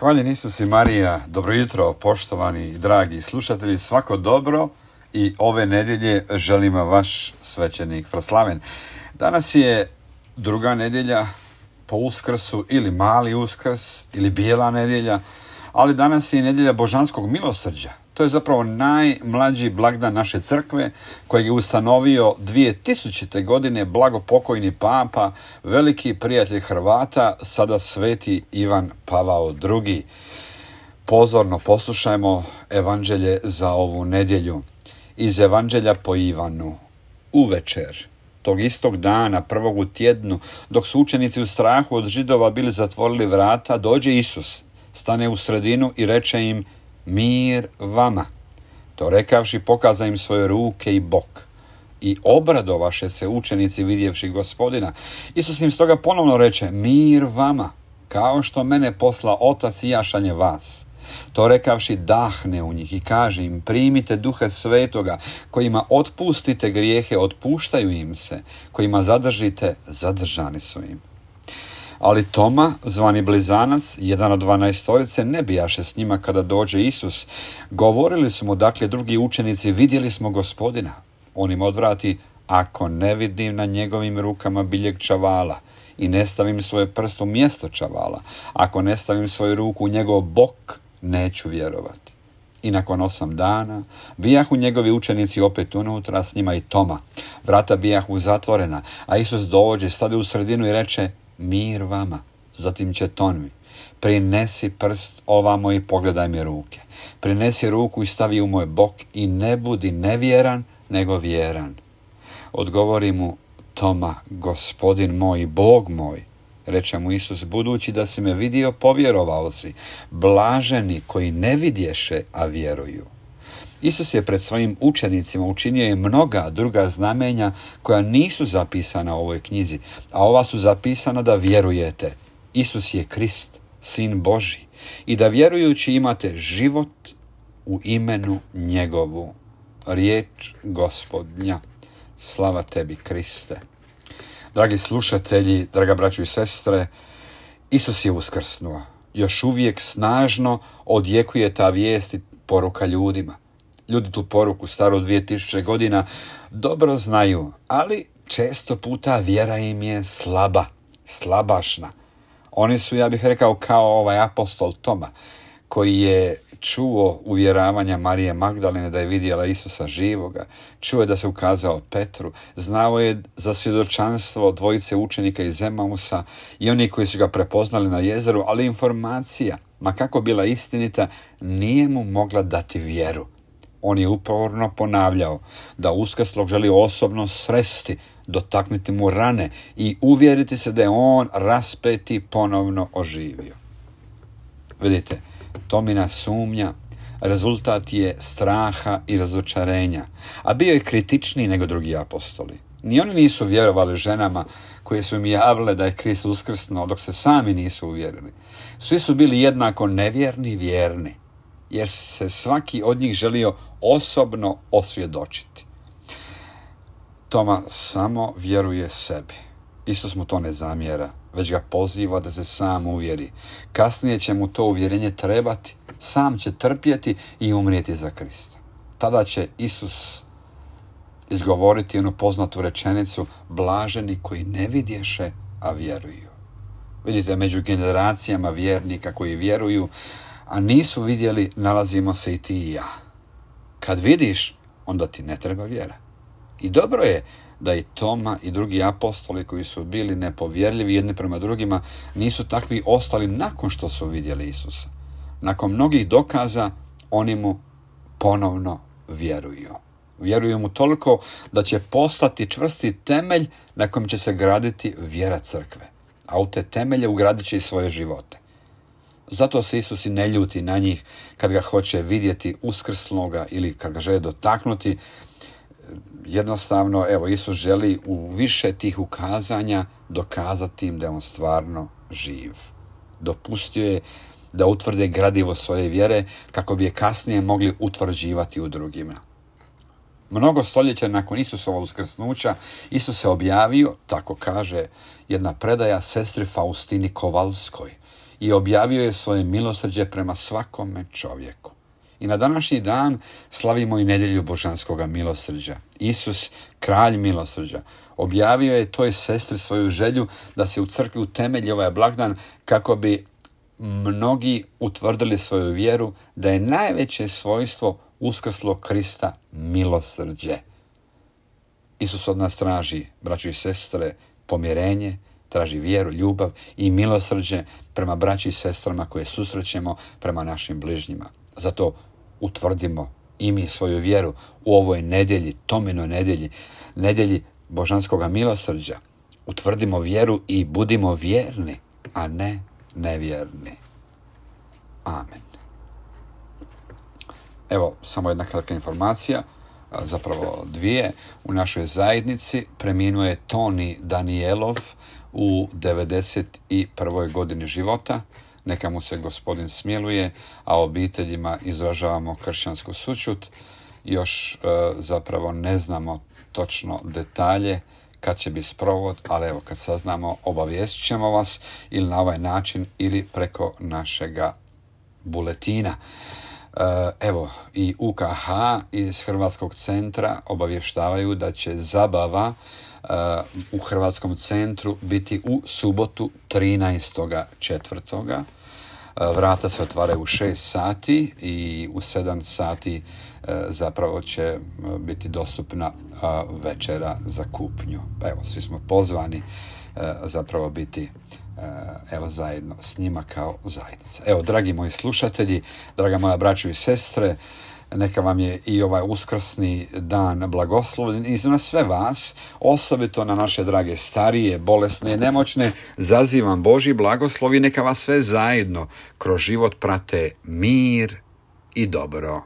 Hvaljen Isus i Marija, dobro jutro poštovani i dragi slušatelji, svako dobro i ove nedjelje želim vaš svećenik Fraslaven. Danas je druga nedjelja po Uskrsu ili mali Uskrs ili bijela nedjelja, ali danas je nedjelja Božanskog milosrđa. To je zapravo najmlađi blagdan naše crkve kojeg je ustanovio 2000. godine blagopokojni papa, veliki prijatelj Hrvata, sada sveti Ivan Pavao II. Pozorno poslušajmo evanđelje za ovu nedjelju. Iz evanđelja po Ivanu. Uvečer tog istog dana, prvog u tjednu, dok su učenici u strahu od Židova bili zatvorili vrata, dođe Isus, stane u sredinu i reče im: mir vama. To rekavši, pokaza im svoje ruke i bok. I obradovaše se učenici vidjevši Gospodina. Isus im stoga ponovno reče: mir vama, kao što mene posla Otac i ja šaljem vas. To rekavši, dahne u njih i kaže im: primite Duha Svetoga, kojima otpustite grijehe, otpuštaju im se, kojima zadržite, zadržani su im. Ali Toma, zvani Blizanac, jedan od 12, ne bijaše s njima kada dođe Isus. Govorili su mu dakle drugi učenici: vidjeli smo Gospodina. On im odvrati: ako ne vidim na njegovim rukama biljeg čavala i ne stavim svoje prst u mjesto čavala, ako ne stavim svoju ruku u njegov bok, neću vjerovati. I nakon 8 dana bijahu njegovi učenici opet unutra, s njima i Toma. Vrata bijahu zatvorena, a Isus dođe, stade u sredinu i reče: mir vama. Zatim će Tomi: prinesi prst ovamo i pogledaj mi ruke. Prinesi ruku i stavi u moj bok i ne budi nevjeran, nego vjeran. Odgovori mu Toma: Gospodin moj i Bog moj. Reče mu Isus: budući da si me vidio, povjerovao si. Blaženi koji ne vidješe, a vjeruju. Isus je pred svojim učenicima učinio i mnoga druga znamenja koja nisu zapisana u ovoj knjizi, a ova su zapisana da vjerujete. Isus je Krist, Sin Božji, i da vjerujući imate život u imenu njegovu. Riječ Gospodnja. Slava tebi, Kriste. Dragi slušatelji, draga braćo i sestre, Isus je uskrsnuo. Još uvijek snažno odjekuje ta vijest i poruka ljudima. Ljudi tu poruku staru 2000 godina dobro znaju, ali često puta vjera im je slabašna. Oni su, ja bih rekao, kao ovaj apostol Toma, koji je čuo uvjeravanja Marije Magdalene da je vidjela Isusa živoga, čuo je da se ukazao Petru, znao je za svjedočanstvo dvojice učenika iz Emausa i oni koji su ga prepoznali na jezeru, ali informacija, ma kako bila istinita, nije mu mogla dati vjeru. On je uporno ponavljao da uskrslog želi osobno sresti, dotaknuti mu rane i uvjeriti se da je on raspeti ponovno oživio. Vidite, Tomina sumnja rezultat je straha i razočarenja, a bio je kritičniji nego drugi apostoli. Ni oni nisu vjerovali ženama koje su im javile da je Krist uskrsnuo, dok se sami nisu uvjerili. Svi su bili jednako nevjerni i vjerni, jer se svaki od njih želio osobno osvjedočiti. Toma samo vjeruje sebi. Isus mu to ne zamjera, već ga poziva da se sam uvjeri. Kasnije će mu to uvjerenje trebati, sam će trpjeti i umrijeti za Krista. Tada će Isus izgovoriti onu poznatu rečenicu: blaženi koji ne vidješe, a vjeruju. Vidite, među generacijama vjernika koji vjeruju, a nisu vidjeli, nalazimo se i ti i ja. Kad vidiš, onda ti ne treba vjera. I dobro je da i Toma i drugi apostoli koji su bili nepovjerljivi jedni prema drugima nisu takvi ostali nakon što su vidjeli Isusa. Nakon mnogih dokaza oni mu ponovno vjeruju. Vjeruju mu toliko da će postati čvrsti temelj na kojem će se graditi vjera crkve. A u te temelje ugradit će i svoje živote. Zato se Isus i ne ljuti na njih kad ga hoće vidjeti uskrsloga ili kad ga žele dotaknuti. Jednostavno, Isus želi u više tih ukazanja dokazati im da je on stvarno živ. Dopustio je da utvrde gradivo svoje vjere kako bi je kasnije mogli utvrđivati u drugima. Mnogo stoljeća nakon Isusova uskrsnuća, Isus se objavio, tako kaže jedna predaja, sestri Faustini Kovalskoj. i objavio je svoje milosrđe prema svakome čovjeku. I na današnji dan slavimo i nedjelju božanskoga milosrđa. Isus, kralj milosrđa, objavio je toj sestri svoju želju da se u crkvi utemelji ovaj blagdan kako bi mnogi utvrdili svoju vjeru da je najveće svojstvo uskrslog Krista milosrđe. Isus od nas traži, braćo i sestre, pomirenje, traži vjeru, ljubav i milosrđe prema braći i sestrama koje susrećemo, prema našim bližnjima. Zato utvrdimo i mi svoju vjeru u ovoj nedjelji, Tominoj nedjelji, nedjelji božanskoga milosrđa. Utvrdimo vjeru i budimo vjerni, a ne nevjerni. Amen. Evo, samo jedna kratka informacija, zapravo dvije. U našoj zajednici preminuo je Toni Danielov u 91. godini života. Neka mu se Gospodin smiluje, a obiteljima izražavamo kršćansku sućut. Još zapravo ne znamo točno detalje kad će biti sprovod, ali evo kad saznamo obavijestit ćemo vas ili na ovaj način ili preko našega buletina. Evo i UKH iz Hrvatskog centra obavještavaju da će zabava u Hrvatskom centru biti u subotu 13.4. Vrata se otvaraju u 6 sati i u 7 sati zapravo će biti dostupna večera za kupnju. Evo, svi smo pozvani zapravo biti evo zajedno s njima kao zajednica. Evo, dragi moji slušatelji, draga moja braćo i sestre, neka vam je i ovaj uskrsni dan blagoslovljen i na sve vas, osobito na naše drage starije, bolesne, nemoćne, zazivam Božji blagoslov i neka vas sve zajedno kroz život prate mir i dobro.